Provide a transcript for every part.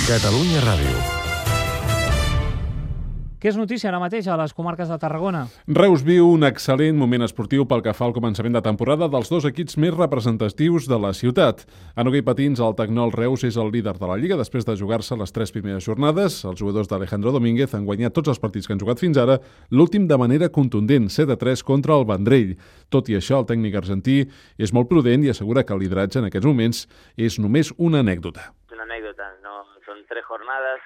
Catalunya Ràdio. Què és notícia ara mateix a les comarques de Tarragona? Reus viu un excel·lent moment esportiu pel que fa al començament de temporada dels dos equips més representatius de la ciutat. En hoquei patins, el Tecnol Reus és el líder de la Lliga després de jugar-se les 3 primeres jornades. Els jugadors d'Alejandro Domínguez han guanyat tots els partits que han jugat fins ara, l'últim de manera contundent, 7-3 contra el Vendrell. Tot i això, el tècnic argentí és molt prudent i assegura que el lideratge en aquests moments és només una anècdota. Una anécdota, ¿no? Son 3 jornadas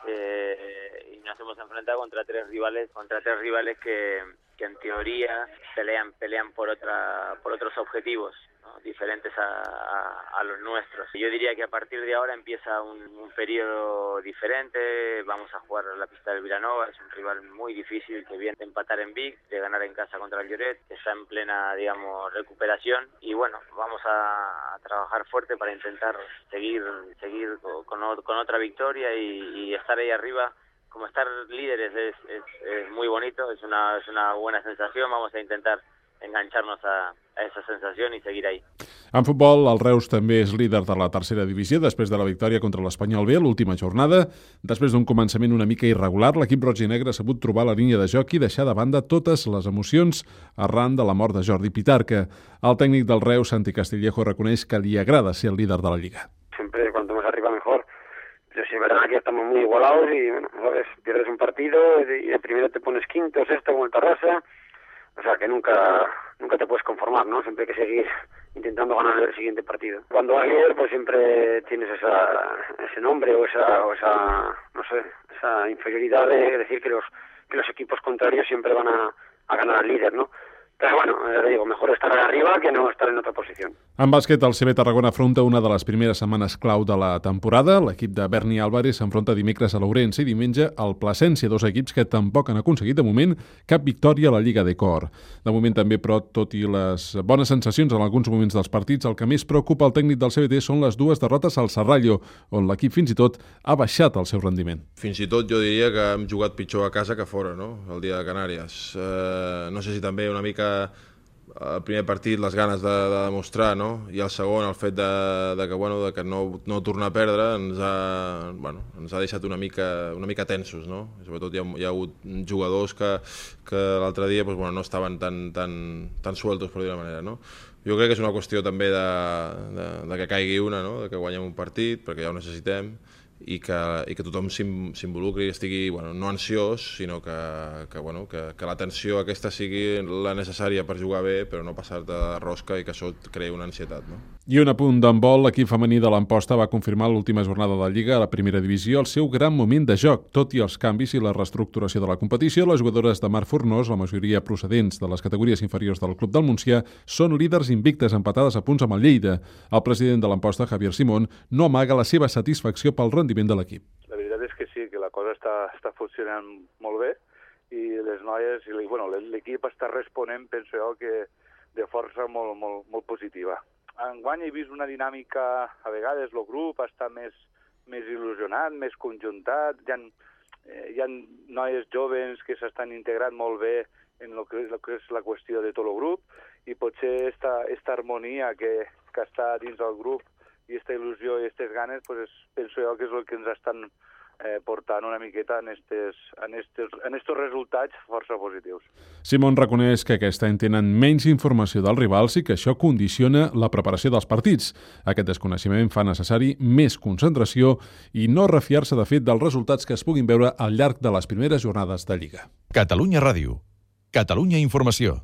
y nos hemos enfrentado contra tres rivales que en teoría pelean por otros objetivos, ¿no? Diferentes a los nuestros. Yo diría que a partir de ahora empieza un periodo diferente. Vamos a jugar a la pista del Vilanova, es un rival muy difícil que viene de empatar en Vic, de ganar en casa contra el Lloret, que está en plena, recuperación, y bueno, vamos a trabajar fuerte para intentar seguir con otra victoria y estar ahí arriba. Como estar líderes es muy bonito, es una buena sensación. Vamos a intentar engancharnos a esa sensació i seguir ahí. En futbol, el Reus també és líder de la tercera divisió després de la victòria contra l'Espanyol B a l'última jornada. Després d'un començament una mica irregular, l'equip roig i negre ha sabut trobar la línia de joc i deixar de banda totes les emocions arran de la mort de Jordi Pitarca. El tècnic del Reus, Santi Castillejo, reconeix que li agrada ser el líder de la Lliga. Siempre cuanto más arriba mejor. Pero sí, verdad que estamos muy igualados y, bueno, sabes, pierdes un partido y de primero te pones quinto, sexto como el Tarrasa. O sea que nunca te puedes conformar, ¿no? Siempre hay que seguir intentando ganar el siguiente partido. Cuando vas líder, pues siempre tienes ese nombre o esa, no sé, esa inferioridad de decir que los equipos contrarios siempre van a ganar al líder, ¿no? Però bueno, digo, mejor estar arriba que no estar en otra posició. En bàsquet, el CB Tarragona afronta una de les primeres setmanes clau de la temporada. L'equip de Berni Álvarez s'enfronta dimecres a l'Ourense i diumenge al Plasència, dos equips que tampoc han aconseguit de moment cap victòria a la Lliga de Cor. De moment també, però, tot i les bones sensacions en alguns moments dels partits, el que més preocupa el tècnic del CBT són les dues derrotes al Serrallo, on l'equip fins i tot ha baixat el seu rendiment. Fins i tot jo diria que hem jugat pitjor a casa que fora, no? El dia de Canàries. No sé si també una mica el primer partit les ganes de demostrar, no? I el segon el fet de que no tornar a perdre ens ha deixat una mica tensos, no? Sobretot hi ha hagut jugadors que l'altre dia no estaven tan sueltos, per dir-ho manera, no? Jo crec que és una qüestió també de que caigui una, no? De que guanyem un partit, perquè ja ho necessitem, i que tothom s'involucri i estigui no ansiós, sinó que la tensió aquesta sigui la necessària per jugar bé, però no passar-te de rosca i que això et creï una ansietat, no? I un apunt d'handbol, l'equip femení de l'Amposta va confirmar l'última jornada de Lliga a la primera divisió el seu gran moment de joc. Tot i els canvis i la reestructuració de la competició, les jugadores de Mar Fornós, la majoria procedents de les categories inferiors del Club del Montsià, són líders invictes empatades a punts amb el Lleida. El president de l'Amposta, Javier Simón, no amaga la seva satisfacció pel rendiment de l'equip. La veritat és que sí, que la cosa està funcionant molt bé i les noies i l'equip està responent, penso jo, que de força molt positiva. Enguany he vist una dinàmica, a vegades el grup està més il·lusionat, més conjuntat, hi ha noies joves que s'estan integrant molt bé en el que és la qüestió de tot el grup i potser esta harmonia que està dins del grup i aquesta il·lusió i aquestes ganes, penso jo que és el que ens estan portant una miqueta en estos resultats força positius. Simón reconeix que aquest any tenen menys informació dels rivals i que això condiciona la preparació dels partits. Aquest desconeixement fa necessari més concentració i no refiar-se de fet dels resultats que es puguin veure al llarg de les primeres jornades de Lliga. Catalunya Ràdio. Catalunya Informació.